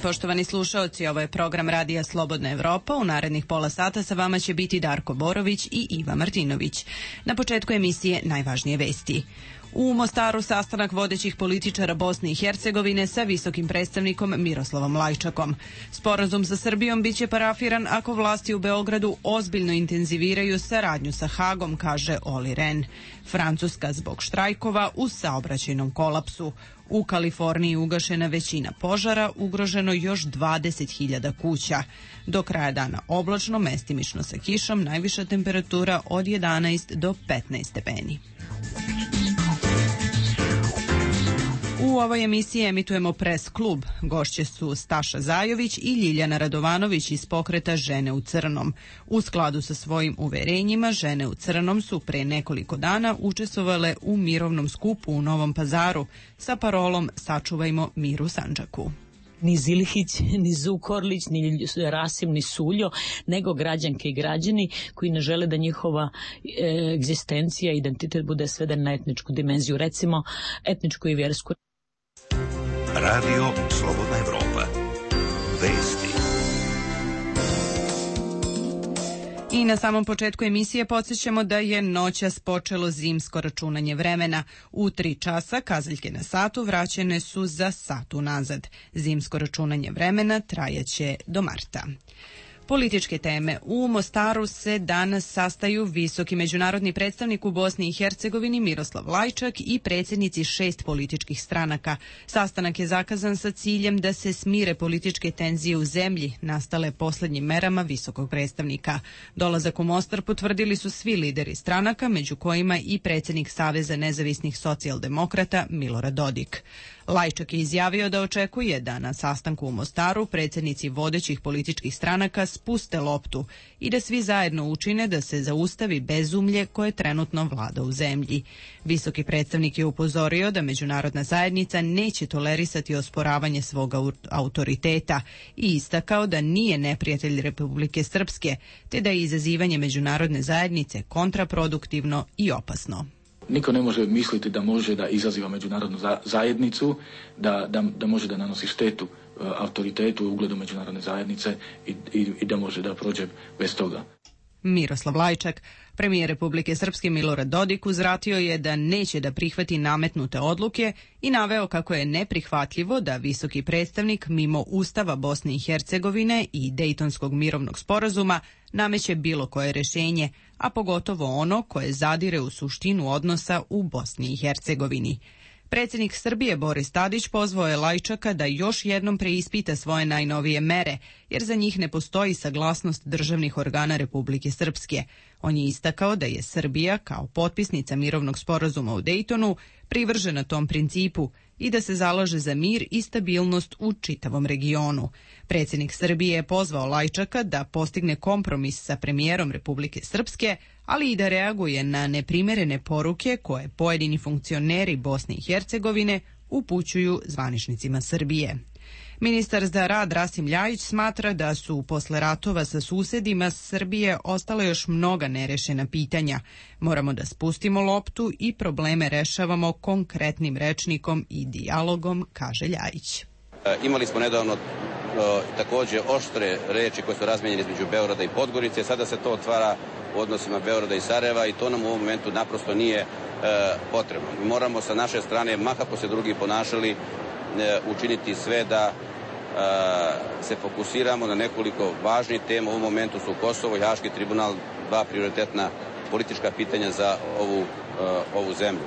Poštovani slušaoci, ovo je program Radija Slobodna Evropa. U narednih pola sata sa vama će biti Darko Borović i Iva Martinović. Na početku emisije najvažnije vesti. U Mostaru sastanak vodećih političara Bosne i Hercegovine sa visokim predstavnikom Miroslavom Lajčakom. Sporazum sa Srbijom biće parafiran ako vlasti u Beogradu ozbiljno intenziviraju saradnju sa Hagom, kaže Oli Ren. Francuska zbog štrajkova u saobraćajnom kolapsu. U Kaliforniji ugašena većina požara, ugroženo još 20.000 kuća. Do kraja dana oblačno, mestimično sa kišom, najviša temperatura od 11 do 15 stepeni. U ovoj emisiji emitujemo Pres klub. Gošće su Staša Zajović i Ljiljana Radovanović iz pokreta Žene u crnom. U skladu sa svojim uverenjima, Žene u crnom su pre nekoliko dana učestvovale u mirovnom skupu u Novom Pazaru sa parolom Sačuvajmo mir u Sandžaku. Ni Zilhić, ni Zukorlić, ni Rasim, ni Suljo, nego građanke i građani koji ne žele da njihova egzistencija i identitet bude sveden na etničku dimenziju, recimo etničku i vjersku. Radio Slobodna Evropa. Vesti. I na samom početku emisije podsjećamo da je noćas počelo zimsko računanje vremena. U 3 časa kazaljke na satu vraćene su za sat unazad. Zimsko računanje vremena trajaće do marta. Političke teme. U Mostaru se danas sastaju visoki međunarodni predstavnik u Bosni i Hercegovini Miroslav Lajčak i predsjednici 6 političkih stranaka. Sastanak je zakazan sa ciljem da se smire političke tenzije u zemlji, nastale posljednjim merama visokog predstavnika. Dolazak u Mostar potvrdili su svi lideri stranaka, među kojima i predsjednik Saveza nezavisnih socijaldemokrata Milorad Dodik. Lajčak je izjavio da očekuje da na sastanku u Mostaru predsjednici vodećih političkih stranaka spuste loptu i da svi zajedno učine da se zaustavi bezumlje koje trenutno vlada u zemlji. Visoki predstavnik je upozorio da međunarodna zajednica neće tolerisati osporavanje svog autoriteta i istakao da nije neprijatelj Republike Srpske, te da je izazivanje međunarodne zajednice kontraproduktivno i opasno. Niko ne može misliti da može da izaziva međunarodnu zajednicu, da može da nanosi štetu autoritetu i ugledu međunarodne zajednice i da može da prođe bez toga. Miroslav Lajčak. Premijer Republike Srpske Milorad Dodik uzvratio je da neće da prihvati nametnute odluke i naveo kako je neprihvatljivo da visoki predstavnik mimo Ustava Bosne i Hercegovine i Dejtonskog mirovnog sporazuma nameće bilo koje rješenje, a pogotovo ono koje zadire u suštinu odnosa u Bosni i Hercegovini. Predsjednik Srbije Boris Tadić pozvao je Lajčaka da još jednom preispita svoje najnovije mere, jer za njih ne postoji saglasnost državnih organa Republike Srpske. On je istakao da je Srbija, kao potpisnica mirovnog sporazuma u Dejtonu, privržena tom principu i da se zalaže za mir i stabilnost u čitavom regionu. Predsjednik Srbije je pozvao Lajčaka da postigne kompromis sa premijerom Republike Srpske, ali i da reaguje na neprimerene poruke koje pojedini funkcioneri Bosne i Hercegovine upućuju zvaničnicima Srbije. Ministar za rad Rasim Ljajić smatra da su posle ratova sa susedima Srbije ostale još mnoga nerešena pitanja. Moramo da spustimo loptu i probleme rešavamo konkretnim rečnikom i dijalogom, kaže Ljajić. Imali smo nedavno također oštre reči koje su razmijenjene između Beograda i Podgorice. Sada se to otvara u odnosima Beograda i Sarajeva i to nam u ovom momentu naprosto nije potrebno. Mi moramo sa naše strane, mahako se drugi ponašali, učiniti sve da se fokusiramo na nekoliko važnih tema. U ovom momentu su Kosovo i Haški tribunal, 2 prioritetna politička pitanja za ovu zemlju.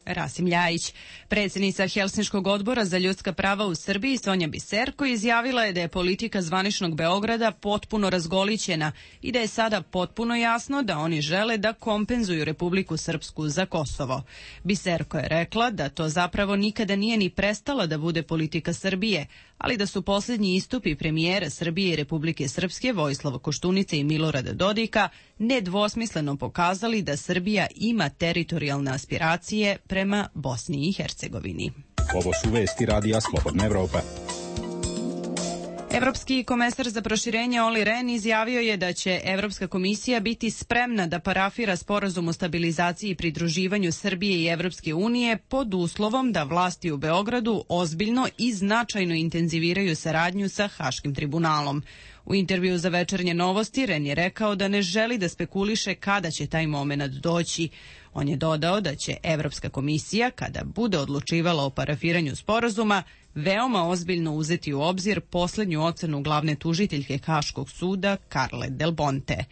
Rasim Ljajić. Predsjednica Helsinškog odbora za ljudska prava u Srbiji Sonja Biserko izjavila je da je politika zvaničnog Beograda potpuno razgolićena i da je sada potpuno jasno da oni žele da kompenzuju Republiku Srpsku za Kosovo. Biserko je rekla da to zapravo nikada nije ni prestala da bude politika Srbije, ali da su posljednji istupi premijera Srbije i Republike Srpske Vojislava Koštunice i Milorada Dodika nedvosmisleno pokazali da Srbija ima teritorijalne aspiracije prema Bosni i Hercegovini. Ovo su vesti Radija Slobodna Evropa. Evropski komesar za proširenje Olli Rehn izjavio je da će Evropska komisija biti spremna da parafira sporazum o stabilizaciji i pridruživanju Srbije i Evropske unije pod uslovom da vlasti u Beogradu ozbiljno i značajno intenziviraju saradnju sa Haškim tribunalom. U intervju za Večernje novosti Rehn je rekao da ne želi da spekuliše kada će taj moment doći. On je dodao da će Evropska komisija, kada bude odlučivala o parafiranju sporazuma, veoma ozbiljno uzeti u obzir posljednju ocenu glavne tužiteljke Haškog suda Carle Del Ponte.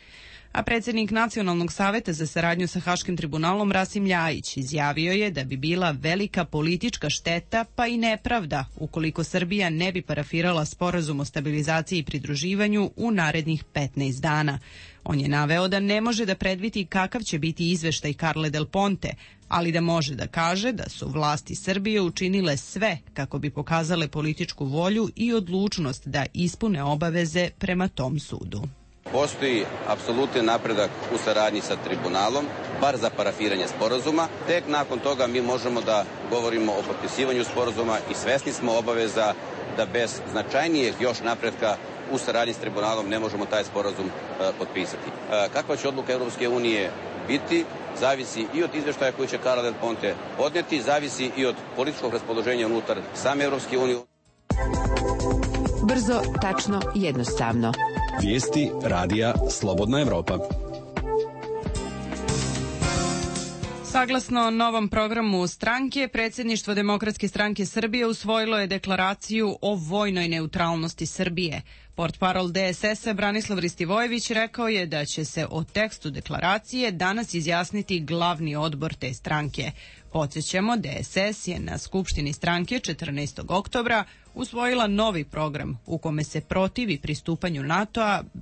A predsjednik Nacionalnog saveta za saradnju sa Haškim tribunalom Rasim Ljajić izjavio je da bi bila velika politička šteta pa i nepravda ukoliko Srbija ne bi parafirala sporazum o stabilizaciji i pridruživanju u narednih 15 dana. On je naveo da ne može da predvidi kakav će biti izveštaj Carle Del Ponte, ali da može da kaže da su vlasti Srbije učinile sve kako bi pokazale političku volju i odlučnost da ispune obaveze prema tom sudu. Postoji apsolutni napredak u saradnji sa tribunalom, bar za parafiranje sporazuma. Tek nakon toga mi možemo da govorimo o potpisivanju sporazuma i svesni smo obaveza da bez značajnijeg još napretka u saradnji s tribunalom ne možemo taj sporazum potpisati. Kakva će odluka Europske unije biti, zavisi i od izveštaja koji će Carle Del Ponte podneti, zavisi i od političkog raspoloženja unutar same Europske unije. Brzo, tačno, jednostavno. Vijesti Radija Slobodna Evropa. Saglasno novom programu stranke, predsjedništvo Demokratske stranke Srbije usvojilo je deklaraciju o vojnoj neutralnosti Srbije. Portparol DSS-a Branislav Ristivojević rekao je da će se o tekstu deklaracije danas izjasniti glavni odbor te stranke. Podsjećamo, DSS je na Skupštini stranke 14. oktobra usvojila novi program u kome se protivi pristupanju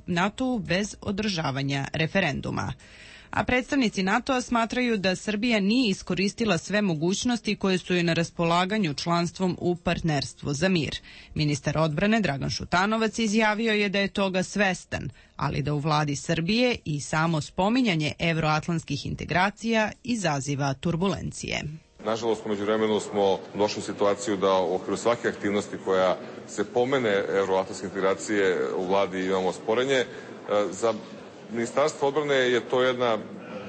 NATO-u bez održavanja referenduma. A predstavnici NATO-a smatraju da Srbija nije iskoristila sve mogućnosti koje su joj na raspolaganju članstvom u Partnerstvu za mir. Ministar odbrane Dragan Šutanovac izjavio je da je toga svestan, ali da u vladi Srbije i samo spominjanje evroatlantskih integracija izaziva turbulencije. Nažalost, umeđu vremenu smo došli u situaciju da u okviru svake aktivnosti koja se pomene evroatlantske integracije u vladi imamo sporenje. Za Ministarstvo odbrane je to jedna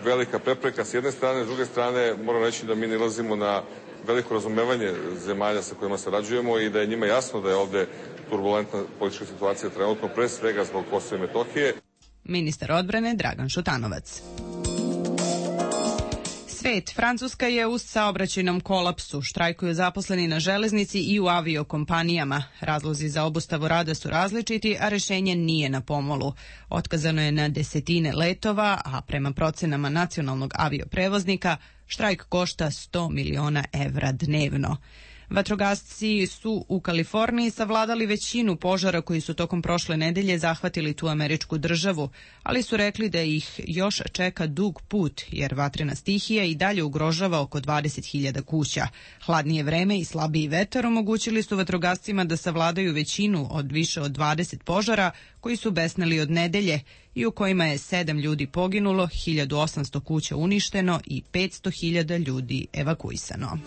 velika prepreka s jedne strane, s druge strane moram reći da mi nalazimo na veliko razumevanje zemalja sa kojima sarađujemo i da je njima jasno da je ovde turbulentna politička situacija trenutno, pre svega zbog Kosova i Metohije. Ministar odbrane Dragan Šutanovac. Svet. Francuska je u saobraćajnom kolapsu. Štrajkuju zaposleni na železnici i u aviokompanijama. Razlozi za obustavu rada su različiti, a rešenje nije na pomolu. Otkazano je na desetine letova, a prema procenama nacionalnog avioprevoznika štrajk košta 100 miliona evra dnevno. Vatrogasci su u Kaliforniji savladali većinu požara koji su tokom prošle nedelje zahvatili tu američku državu, ali su rekli da ih još čeka dug put, jer vatrena stihija i dalje ugrožava oko 20.000 kuća. Hladnije vreme i slabiji vetar omogućili su vatrogascima da savladaju većinu od više od 20 požara koji su besneli od nedelje i u kojima je 7 ljudi poginulo, 1800 kuća uništeno i 500.000 ljudi evakuisano.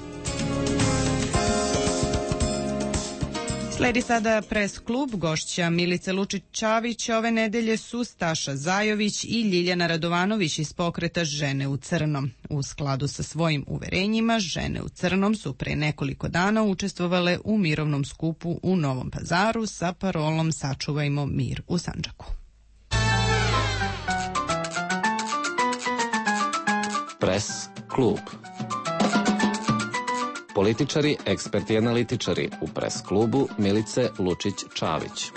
Sledi sada Pres klub. Gošća Milice Lučić-Čavić ove nedelje su Staša Zajović i Ljiljana Radovanović iz pokreta Žene u crnom. U skladu sa svojim uverenjima, Žene u crnom su pre nekoliko dana učestvovale u mirovnom skupu u Novom Pazaru sa parolom Sačuvajmo mir u Sandžaku. Pres klub. Političari, eksperti i analitičari u Pres klubu Milice Lučić-Čavić.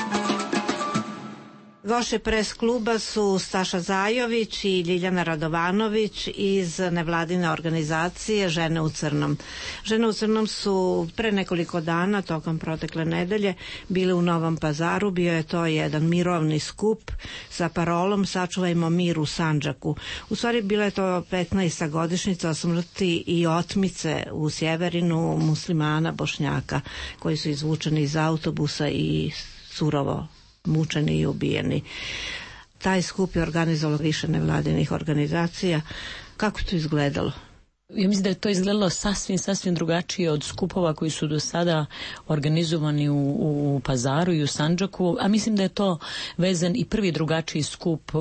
Gošće pres kluba su Staša Zajović i Ljiljana Radovanović iz nevladine organizacije Žene u crnom. Žene u crnom su pre nekoliko dana, tokom protekle nedelje, bile u Novom Pazaru. Bio je to jedan mirovni skup sa parolom Sačuvajmo mir u Sandžaku. U stvari bila je to 15. godišnjica smrti i otmice u Sjeverinu muslimana Bošnjaka koji su izvučeni iz autobusa i surovo mučeni i ubijeni. Taj skup je organizovalo više nevladinih organizacija. Kako to izgledalo? Ja mislim da je to izgledalo sasvim drugačije od skupova koji su do sada organizovani u Pazaru i u Sandžaku, a mislim da je to vezan i prvi drugačiji skup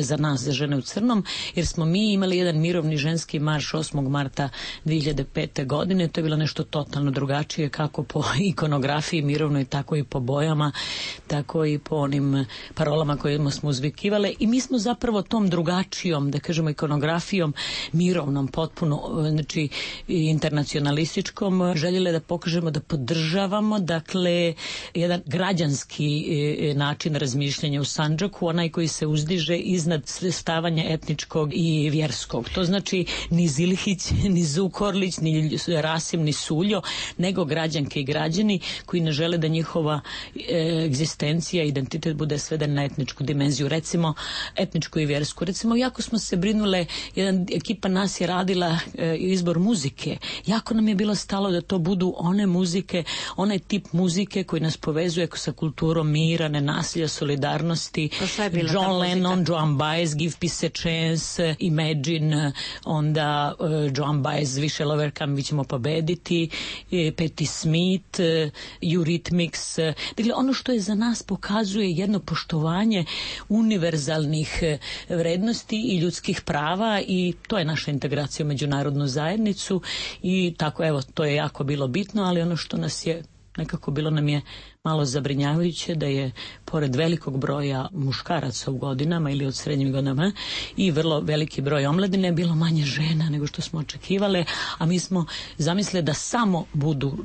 za nas, za Žene u crnom, jer smo mi imali jedan mirovni ženski marš 8. marta 2005. godine. To je bilo nešto totalno drugačije, kako po ikonografiji mirovnoj, tako i po bojama, tako i po onim parolama kojima smo uzvikivale, i mi smo zapravo tom drugačijom, da kažemo, ikonografijom mirovnom, potpuno znači internacionalističkom, željeli da pokažemo da podržavamo, dakle, jedan građanski način razmišljanja u Sandžaku, onaj koji se uzdiže iznad svrstavanja etničkog i vjerskog. To znači ni Zilhić, ni Zukorlić, ni Rasim, ni Suljo, nego građanke i građani koji ne žele da njihova egzistencija, identitet bude sveden na etničku dimenziju, recimo etničku i vjersku. Recimo, jako smo se brinule, jedan ekipa nas je radila izbor muzike. Jako nam je bilo stalo da to budu one muzike, onaj tip muzike koji nas povezuje sa kulturom mira, nenasilja, solidarnosti. John Lennon, Joan Baez, Give Peace a Chance, Imagine, onda Joan Baez, We Shall Overcome, mi ćemo pobediti, Patti Smith, Eurythmics. Dakle, ono što je za nas pokazuje jedno poštovanje univerzalnih vrednosti i ljudskih prava, i to je naša integracija u međunarodnu zajednicu, i tako, evo, to je jako bilo bitno, ali ono što nas je nekako bilo nam je malo zabrinjavajuće da je pored velikog broja muškaraca u godinama ili od srednjih godinama i vrlo veliki broj omladine bilo manje žena nego što smo očekivale, a mi smo zamislili da samo budu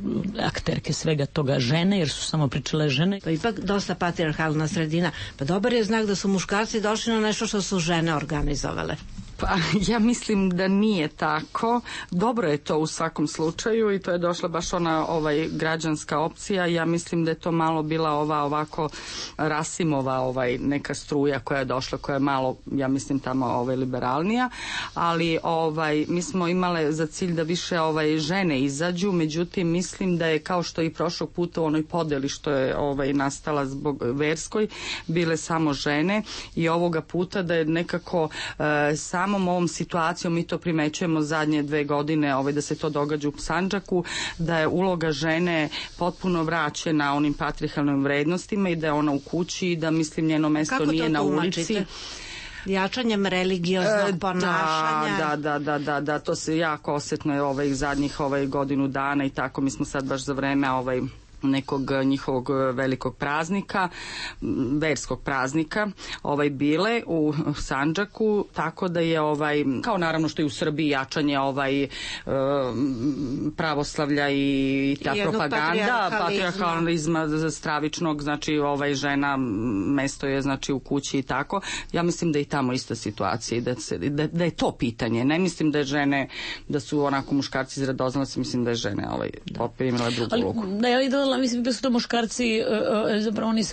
akterke svega toga žene, jer su samo pričale žene. Pa ipak dosta patrijarhalna sredina. Pa dobar je znak da su muškarci došli na nešto što su žene organizovale. Pa ja mislim da nije tako. Dobro je to u svakom slučaju, i to je došla baš ona građanska opcija. Ja mislim da je to malo bila ovako Rasimova neka struja koja je došla, koja je malo, ja mislim, tamo liberalnija, ali mi smo imale za cilj da više žene izađu, međutim mislim da je, kao što i prošlog puta u onoj podeli što je nastala zbog verskoj, bile samo žene, i ovoga puta da je nekako samom ovom situacijom, mi to primećujemo zadnje 2 godine, da se to događa u Sandžaku, da je uloga žene potpuno vraćena onim patrijarhalnim vrednostima i da je ona u kući i da, mislim, njeno mesto nije na ulici. Jačanjem religioznog ponašanja. Da, to se jako osjetno je zadnjih godinu dana i tako. Mi smo sad baš za vreme nekog njihovog velikog praznika, verskog praznika, bile u Sandžaku, tako da je kao naravno što je u Srbiji jačanje pravoslavlja i ta propaganda, patrijarhalizma stravičnog, znači žena mesto je znači u kući i tako. Ja mislim da je i tamo ista situacija, da je to pitanje. Ne mislim da je žene, da su onako muškarci izradoznali, mislim da je žene primila drugu ulogu. Mislim da su to muškarci, zapravo oni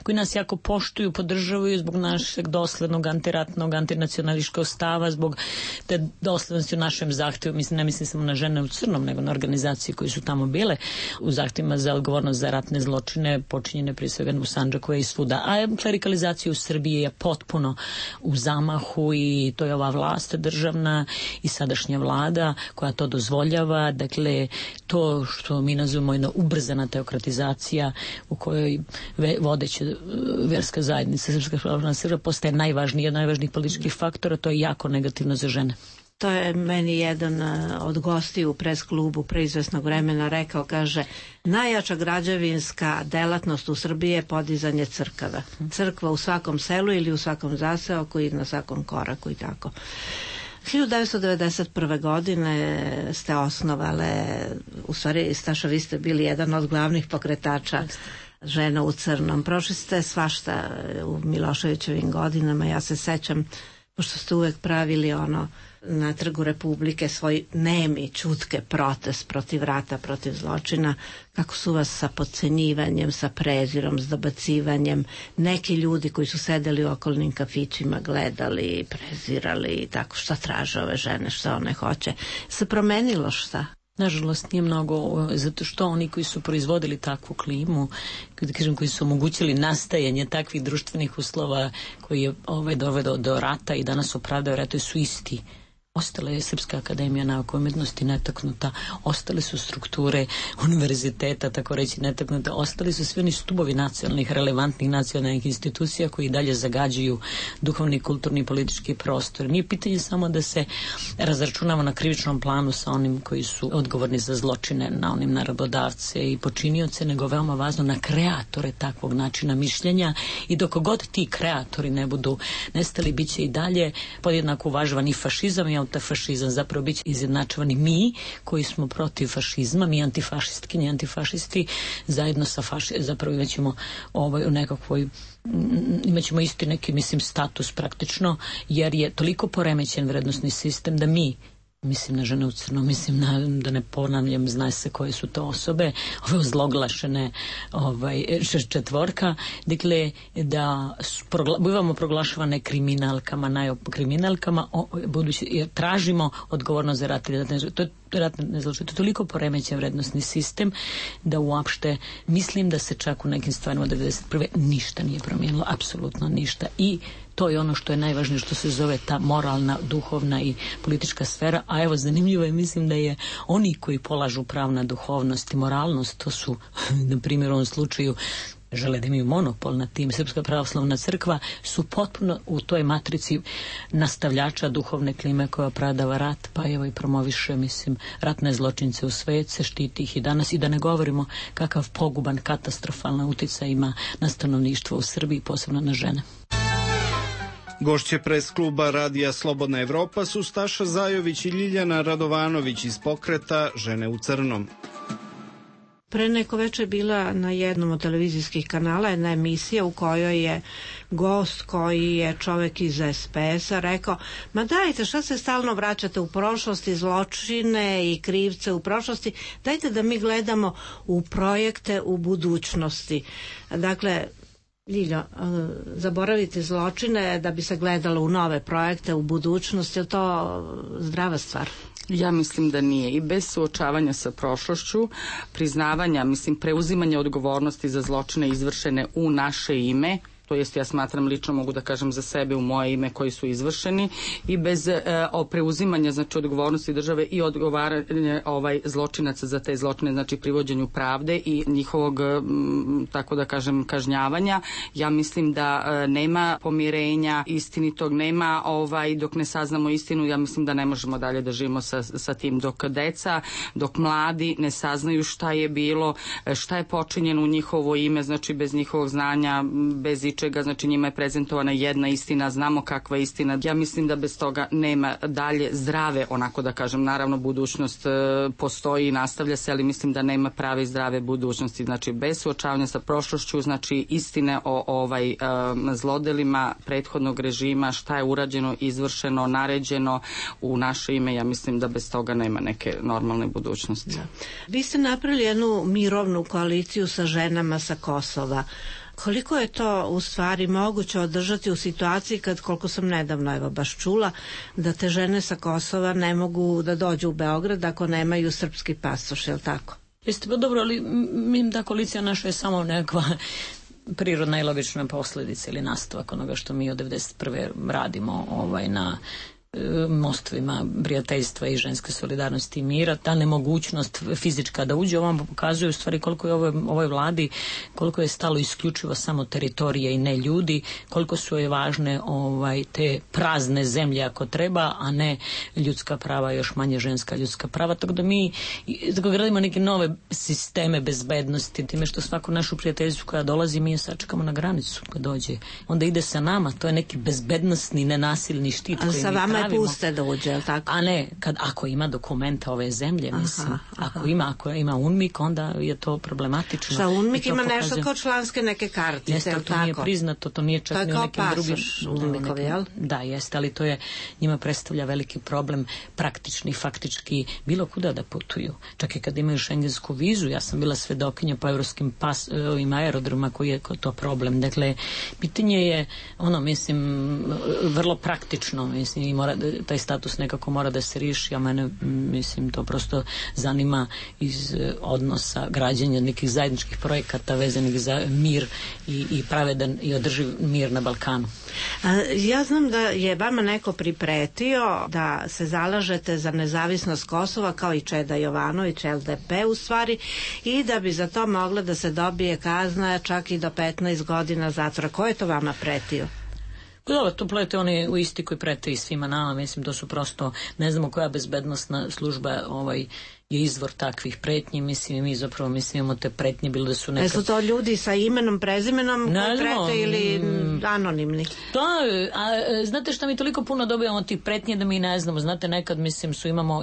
koji nas jako poštuju, podržavaju zbog našeg doslednog antiratnog, antinacionalističkog stava, zbog te doslednosti u našem zahtjevu. Ne mislim samo na Žene u crnom, nego na organizacije koji su tamo bile u zahtjevima za odgovornost za ratne zločine počinjene prije svega u Sandžaku i svuda. A klerikalizacija u Srbiji je potpuno u zamahu, i to je ova vlast državna i sadašnja vlada koja to dozvoljava. Dakle, to što mi nazivamo jedna ubrzana teokratizacija u kojoj vodeća vjerska zajednica, Srpska pravoslavna crkva, postaje najvažniji, od najvažnijih političkih faktora. To je jako negativno za žene. To je meni jedan od gostiju u pres klubu pre izvesnog vremena rekao, kaže, najjača građevinska delatnost u Srbiji je podizanje crkava. Crkva u svakom selu ili u svakom zaseoku i na svakom koraku i tako. 1991. godine ste osnovale, u stvari, Staša, vi ste bili jedan od glavnih pokretača Žena u crnom. Prošli ste svašta u Miloševićevim godinama. Ja se sećam, pošto ste uvek pravili na Trgu Republike svoj nemi, čutke protest protiv rata, protiv zločina, kako su vas sa podcenjivanjem, sa prezirom, s dobacivanjem, neki ljudi koji su sedeli u okolnim kafićima gledali, prezirali i tako, šta traže ove žene, šta one hoće. Se promenilo šta? Nažalost nije mnogo, zato što oni koji su proizvodili takvu klimu, koji su omogućili nastajanje takvih društvenih uslova koji je dovedo do rata i danas opravdaju rata, su isti. Ostala je Srpska akademija nauka i umetnosti netaknuta, ostale su strukture univerziteta, tako reći, netaknuta, ostali su svi oni stubovi nacionalnih, relevantnih nacionalnih institucija koji dalje zagađuju duhovni, kulturni i politički prostor. Nije pitanje samo da se razračunamo na krivičnom planu sa onim koji su odgovorni za zločine, na onim naredbodavce i počinioce, nego veoma važno na kreatore takvog načina mišljenja, i dok god ti kreatori ne budu nestali, bit će i dalje podjednako uvažavani fašizam i fašizam, zapravo bit će izjednačavani mi koji smo protiv fašizma, mi antifašistkinje i antifašisti zajedno sa zapravo imaćemo u nekakvoj imaćemo isti neki, mislim, status praktično, jer je toliko poremećen vrednosni sistem da mi, mislim na Žene u crnom, mislim da ne ponavljam, zna se koje su to osobe, ove ozloglašene četvorka, dakle da bivamo proglašavane kriminalkama, najkriminalkama, budući jer tražimo odgovornost za rat. To je ratne zločine. To je toliko poremećen vrednosni sistem da uopšte mislim da se čak u nekim stvarima od 1991. ništa nije promijenilo, apsolutno ništa. I to je ono što je najvažnije, što se zove ta moralna, duhovna i politička sfera. A evo, zanimljivo je, mislim da je oni koji polažu prav na duhovnost i moralnost, to su, na primjer, u ovom slučaju žele da imaju monopol na tim, Srpska pravoslavna crkva, su potpuno u toj matrici nastavljača duhovne klime koja opravdava rat, pa evo i promoviše, mislim, ratne zločince u svet, se štiti ih i danas, i da ne govorimo kakav poguban, katastrofalan uticaj ima na stanovništvo u Srbiji, posebno na žene. Gošće pres kluba Radija Slobodna Evropa su Staša Zajović i Ljiljana Radovanović iz pokreta Žene u crnom. Pre neko večer bila na jednom od televizijskih kanala jedna emisija u kojoj je gost koji je čovek iz SPS-a rekao, ma dajte, šta se stalno vraćate u prošlosti, zločine i krivce u prošlosti, dajte da mi gledamo u projekte u budućnosti. Dakle, Ljiljo, zaboravite zločine da bi se gledalo u nove projekte u budućnosti, je li to zdrava stvar? Ja mislim da nije, i bez suočavanja sa prošlošću, priznavanja, mislim, preuzimanja odgovornosti za zločine izvršene u naše ime, to jest ja smatram, lično mogu da kažem za sebe, u moje ime, koji su izvršeni, i bez preuzimanja, znači, odgovornosti države i odgovaranja zločinaca za te zločine, znači privođenju pravde i njihovog, tako da kažem, kažnjavanja. Ja mislim da nema pomirenja istinitog, nema dok ne saznamo istinu. Ja mislim da ne možemo dalje da živimo sa tim, dok deca, dok mladi ne saznaju šta je bilo, šta je počinjeno u njihovo ime, znači bez njihovog znanja, bez čega, znači njima je prezentovana jedna istina, znamo kakva je istina. Ja mislim da bez toga nema dalje zdrave, onako da kažem, naravno budućnost postoji i nastavlja se, ali mislim da nema prave i zdrave budućnosti. Znači bez suočavanja sa prošlošću, znači istine o zlodelima prethodnog režima, šta je urađeno, izvršeno, naređeno u naše ime, ja mislim da bez toga nema neke normalne budućnosti. Da. Vi ste napravili jednu mirovnu koaliciju sa ženama sa Kosova. Koliko je to u stvari moguće održati u situaciji kad, koliko sam nedavno evo baš čula, da te žene sa Kosova ne mogu da dođu u Beograd ako nemaju srpski pasoš, je li tako? Jeste, pa dobro, ali ta koalicija naša je samo nekakva prirodna i logična posljedica ili nastavak onoga što mi od 1991. radimo na mostovima prijateljstva i ženske solidarnosti i mira. Ta nemogućnost fizička da uđe ovom pokazuje u stvari koliko je ovoj vladi, koliko je stalo isključivo samo teritorije i ne ljudi, koliko su je važne te prazne zemlje ako treba, a ne ljudska prava, još manje ženska ljudska prava. Tako da mi gradimo neke nove sisteme bezbednosti, time što svaku našu prijateljstvu koja dolazi mi je sačekamo na granicu kad dođe. Onda ide sa nama, to je neki bezbednosni, nenasilni štit. A sa vama Samo je puste da uđe, je li tako? A ne, ako ima dokumenta ove zemlje, mislim. Ako ima UNMIK, onda je to problematično. Šta, UNMIK ima nešto kao članske neke kartice, jeste, ali to nije priznato, to nije čak ni u nekim drugim... To je kao pasoš UNMIK-ovi, jel? Da, jeste, ali to je, njima predstavlja veliki problem, praktični, faktički, bilo kuda da putuju. Čak i kad imaju šengensku vizu, ja sam bila svedokinja po evropskim ovim aerodromima koji je to problem. Dakle, pitanje je, mislim, vrlo praktično, mislim, i taj status nekako mora da se riješi, a mene, mislim, to prosto zanima iz odnosa građanja nekih zajedničkih projekata vezanih za mir i pravedan i održiv mir na Balkanu. Ja znam da je vama neko pripretio da se zalažete za nezavisnost Kosova kao i Čeda Jovanović, LDP u stvari, i da bi za to mogla da se dobije kazna čak i do 15 godina zatvora. Ko je to vama pretio? Dobro, to plete oni u isti koji prete i svima nama, mislim, to su prosto, ne znamo koja bezbednostna služba je izvor takvih pretnji, mislim, i mi zapravo imamo te pretnje, bilo da su neka... Su to ljudi sa imenom, prezimenom koji prete ili anonimni? Da, znate šta, mi toliko puno dobijamo tih pretnje da mi ne znamo, znate, nekad, mislim,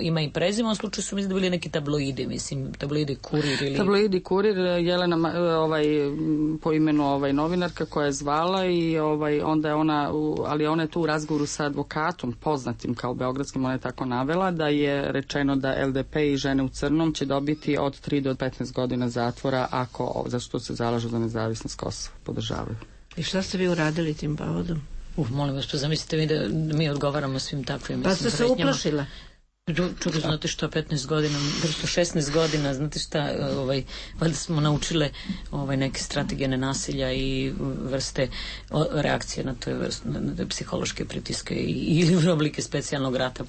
ima i prezime, u slučaju su mi da bili neki tabloidi, mislim, tabloidi Kurir ili... Tabloidi Kurir, Jelena, po imenu novinarka koja je zvala i onda je ona je tu u razgovoru sa advokatom, poznatim kao beogradskim, ona je tako navela, da je rečeno da LDP i Žene u crnom će dobiti od 3 do 15 godina zatvora ako za što se zalažu za nezavisnost Kosova, podržavaju. I šta ste vi uradili tim povodom? Molim vas, zamislite mi da mi odgovaramo svim takvim pretnjama. Pa ste se uplašila? Čudo, znate šta, 15 godina, 16 godina, znate šta, valjda smo naučile neke strategije nenasilja i vrste reakcije na to, na psihološke pritiske ili oblike specijalnog rata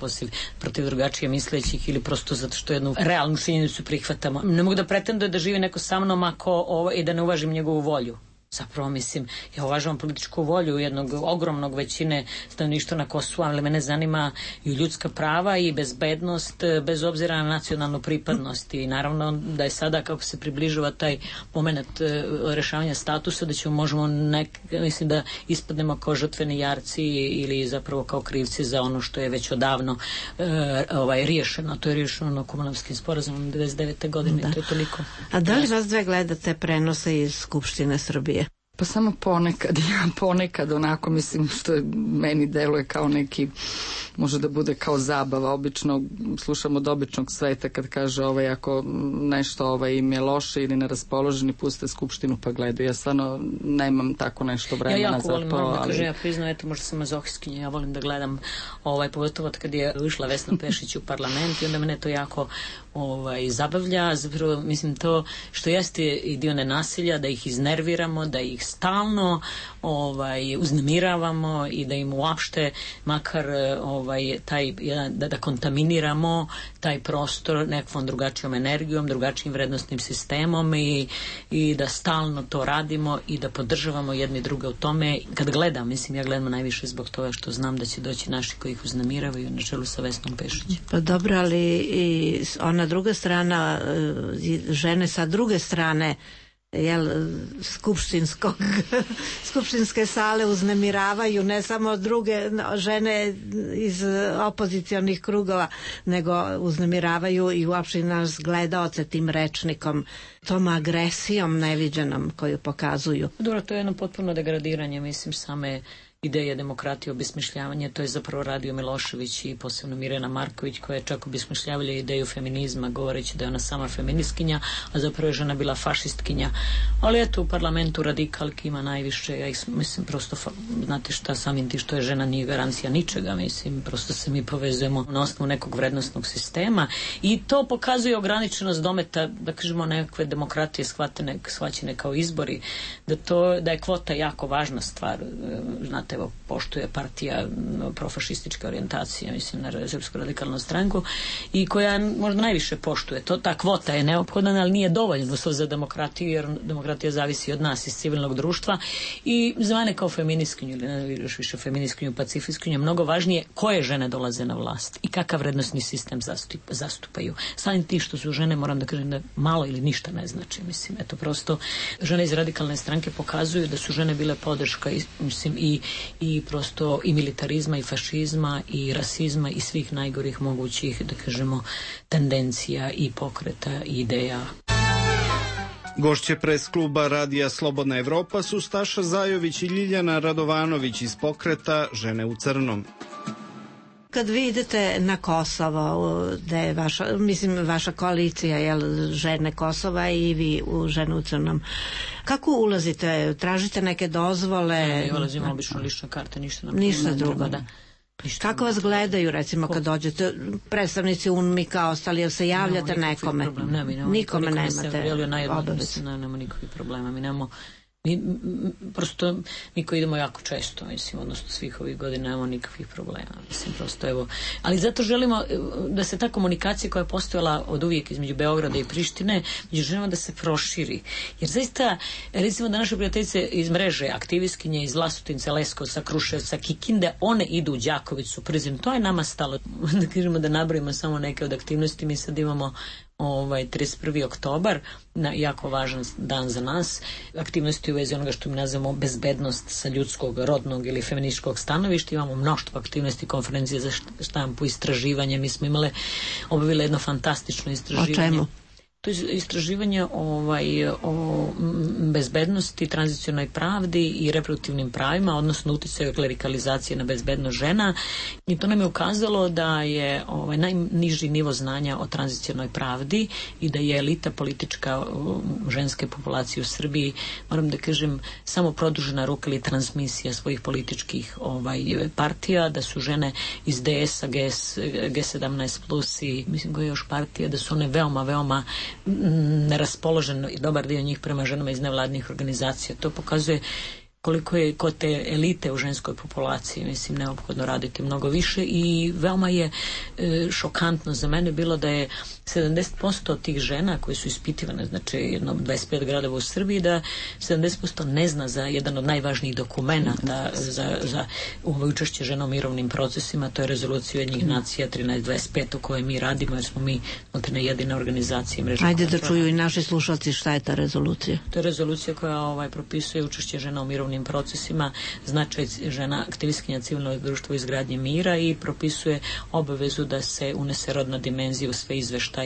protiv drugačije mislećih ili prosto zato što jednu realnu činjenicu prihvatamo. Ne mogu da pretendujem da živi neko sa mnom i da ne uvažim njegovu volju. Zapravo, mislim, ja uvažavam političku volju jednog ogromnog većine stanovništva na Kosovu, ali mene zanima i ljudska prava i bezbednost bez obzira na nacionalnu pripadnost i naravno da je sada kako se približava taj moment rešavanja statusa da možemo mislim da ispadnemo kao žrtveni jarci ili zapravo kao krivci za ono što je već odavno riješeno. To je riješeno na Kumanovskim sporazumom 1999. godine. To je toliko. A da li vas dve gledate prenose iz Skupštine Srbije? Pa samo ponekad onako, mislim, što meni deluje kao neki, može da bude kao zabava, obično slušam od običnog sveta kad kaže ako nešto im je loše ili neraspoloženi, puste Skupštinu pa gledaju. Ja stvarno nemam tako nešto vremena za to. Ja jako volim, ja priznam, eto, možda sam mazohistkinja, ja volim da gledam pogotovo kad je ušla Vesna Pešić u parlament i onda mene to jako zabavlja, zapravo mislim to što jeste i dio nenasilja, da ih iznerviramo, da ih stalno uznemiravamo i da im uopšte makar da kontaminiramo taj prostor nekakvom drugačijom energijom, drugačijim vrednostnim sistemom i da stalno to radimo i da podržavamo jedni druge u tome. Kad gledam, mislim, ja gledam najviše zbog toga što znam da će doći naši koji ih uznemiravaju na čelu sa Vesnom Pešić. Pa dobro, ali i ona druga strana, žene sa druge strane skupštinske sale uznemiravaju ne samo druge žene iz opozicionih krugova, nego uznemiravaju i uopšte nas gledaoce tim rečnikom, tom agresijom neviđenom koju pokazuju. Dobro, to je jedno potpuno degradiranje, mislim, same ideje demokratije, obesmišljavanje, to je zapravo radio Milošević i posebno Mirjana Marković koja je čak obesmišljavala ideju feminizma govoreći da je ona sama feministkinja, a zapravo je žena bila fašistkinja. Ali eto, u parlamentu radikalki ima najviše, ja mislim, prosto, znate šta, samim ti što je žena nije garancija ničega, mislim, prosto se mi povezujemo na osnovu nekog vrednostnog sistema i to pokazuje ograničenost dometa, da kažemo, nekakve demokratije shvaćene kao izbori, da je kvota jako važna stvar, znate, evo, poštuje partija profašističke orijentacije, mislim, na Srpsku radikalnu stranku i koja možda najviše poštuje. Ta kvota je neophodna, ali nije dovoljno za demokratiju, jer demokratija zavisi od nas iz civilnog društva i za mene kao feministkinju ili ne još više feministkinju, pacifistkinju, mnogo važnije koje žene dolaze na vlast i kakav vrednostni sistem zastupaju. Samim ti što su žene, moram da kažem da malo ili ništa ne znači, mislim, eto, prosto žene iz radikalne stranke pokazuju da su žene bile podrška, mislim, i prosto i militarizma i fašizma i rasizma i svih najgorih mogućih, da kažemo, tendencija i pokreta i ideja. Gošće pres kluba Radija Slobodna Evropa su Staša Zajović i Ljiljana Radovanović iz pokreta Žene u crnom. Kad vi idete na Kosovo, gde je vaša koalicija, Žene Kosova i vi u Žene u crnom, kako ulazite? Tražite neke dozvole? Ne, ulazimo obično lična karta, ništa nam ništa drugo. Da. Kako vas gledaju, recimo, kad dođete, predstavnici UNMIK-a, ostali, jel se javljate nekome? Nikome nemate obavez. Nemamo nikakvih problema, mi nemamo. Prosto mi koji idemo jako često, mislim, odnosno svih ovih godina nemamo nikakvih problema, mislim, prosto evo. Ali zato želimo da se ta komunikacija koja je postojala od uvijek između Beograda i Prištine, želimo da se proširi. Jer zaista, recimo da naše prijateljice iz mreže, aktivistkinje iz Vlasotinca, Leskovca, Kruševca, Kikinde, one idu u Đakovicu, Prizren, to je nama stalo. Da kažemo da nabrojimo samo neke od aktivnosti, mi sad imamo 31. oktobar, jako važan dan za nas, aktivnosti u vezi onoga što mi nazivamo bezbednost sa ljudskog, rodnog ili feminističkog stanovišta. Imamo mnoštvo aktivnosti, konferencije za štampu, istraživanje. Mi smo obavili jedno fantastično istraživanje. O čemu? To je istraživanje o bezbednosti, tranzicionoj pravdi i reproduktivnim pravima, odnosno uticaju klerikalizacije na bezbednost žena, i to nam je ukazalo da je najniži nivo znanja o tranzicionoj pravdi i da je elita politička ženske populacije u Srbiji, moram da kažem, samo produžena ruka ili transmisija svojih političkih partija, da su žene iz DS-a, G17 plus i mislim koja je još partija, da su one veoma neraspoložen i dobar dio njih prema ženama iz nevladnih organizacija. To pokazuje koliko je kod te elite u ženskoj populaciji, mislim, neophodno raditi mnogo više, i veoma je šokantno za mene bilo da je 70% od tih žena koje su ispitivane, znači jedno 25 gradova u Srbiji, da 70% ne zna za jedan od najvažnijih dokumenta za učešće žena u mirovnim procesima, to je Rezolucija Ujedinjenih nacija 1325 u kojoj mi radimo, jer smo mi jedina organizacija mreža. Ajde da čuju i naši slušalci šta je ta rezolucija. To je rezolucija koja propisuje učešće žena u mirovnim procesima, značaj žena aktivistkinja civilnog društva u izgradnji mira i propisuje obavezu da se unese rodna dimenzija u sve izveštaje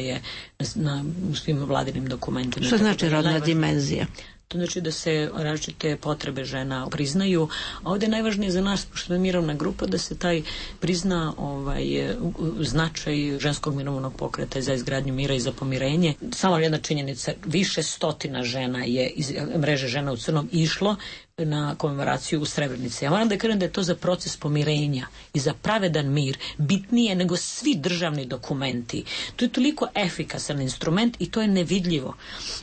u svim vladinim dokumentima. Što znači rodna dimenzija? To znači da se različite potrebe žena priznaju, a ovdje je najvažnije za nas, pošto je mirovna grupa, da se taj prizna značaj ženskog mirovnog pokreta za izgradnju mira i za pomirenje. Samo jedna činjenica, više stotina žena je iz mreže Žena u crnom išlo na komemoraciju u Srebrenici. Ja moram da kažem da je to za proces pomirenja i za pravedan mir bitnije nego svi državni dokumenti. To je toliko efikasan instrument i to je nevidljivo.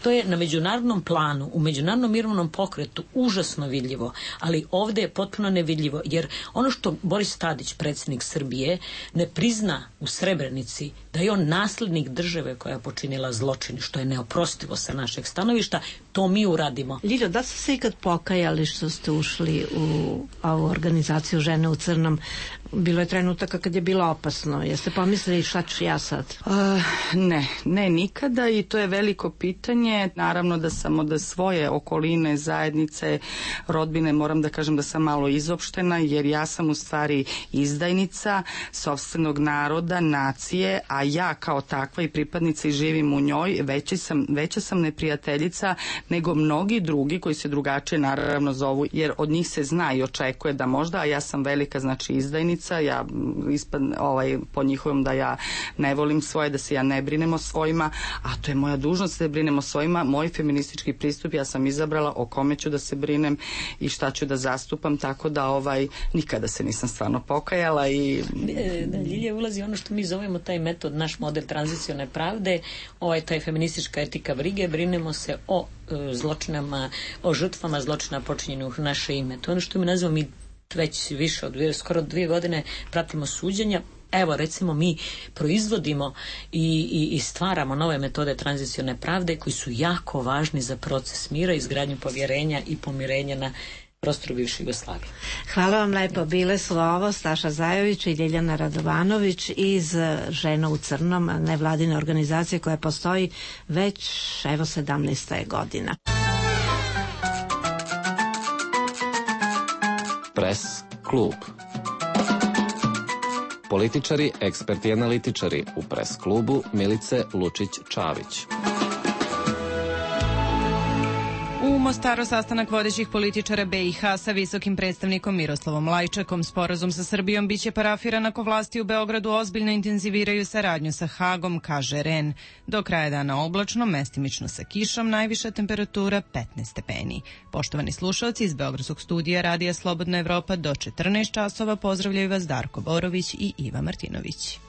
To je na međunarodnom planu, u međunarodnom mirovnom pokretu užasno vidljivo, ali ovdje je potpuno nevidljivo, jer ono što Boris Tadić, predsjednik Srbije, ne prizna u Srebrenici da je on naslednik države koja je počinila zločin, što je neoprostivo sa našeg stanovišta, to mi uradimo. Ljiljo, da ste se ikad pokajali što ste ušli u ovu organizaciju Žene u crnom? Bilo je trenutaka kad je bilo opasno. Jeste pomislili šta ću ja sad? Ne nikada, i to je veliko pitanje. Naravno da sam od svoje okoline, zajednice, rodbine, moram da kažem da sam malo izopštena, jer ja sam u stvari izdajnica sopstvenog naroda, nacije, a ja kao takva i pripadnica i živim u njoj, veća sam neprijateljica nego mnogi drugi koji se drugačije naravno zovu, jer od njih se zna i očekuje da možda, a ja sam velika, znači izdajnica, ja po njihovom da ja ne volim svoje, da se ja ne brinem o svojima, a to je moja dužnost da brinem o svojima. Moj feministički pristup, ja sam izabrala o kome ću da se brinem i šta ću da zastupam, tako da nikada se nisam stvarno pokajala. I da, Ljilja, ulazi ono što mi zovemo taj metod, naš model tranzicione pravde, taj feministička etika brige, brinemo se o zločinama, o žrtvama zločina počinjenih u naše ime. To je ono što mi nazivamo, mi već više od skoro 2 godine pratimo suđenja. Evo, recimo, mi proizvodimo i stvaramo nove metode tranzicione pravde koji su jako važni za proces mira, izgradnju povjerenja i pomirenja na prostoru bivše Jugoslavije. Hvala vam lepo. Bile su ovo Staša Zajović i Ljiljana Radovanović iz Žena u crnom, nevladine organizacije koja postoji već 17. godina. Pres klub. Političari, eksperti i analitičari u Pres klubu Milice Lučić-Čavić. U Mostaru sastanak vodećih političara BiH sa visokim predstavnikom Miroslavom Lajčakom. Sporazum sa Srbijom biće parafiran ako vlasti u Beogradu ozbiljno intenziviraju saradnju sa Hagom, kaže REN. Do kraja dana oblačno, mestimično sa kišom, najviša temperatura 15 stepeni. Poštovani slušalci, iz Beogradskog studija Radija Slobodna Evropa do 14 časova pozdravljaju vas Darko Borović i Iva Martinović.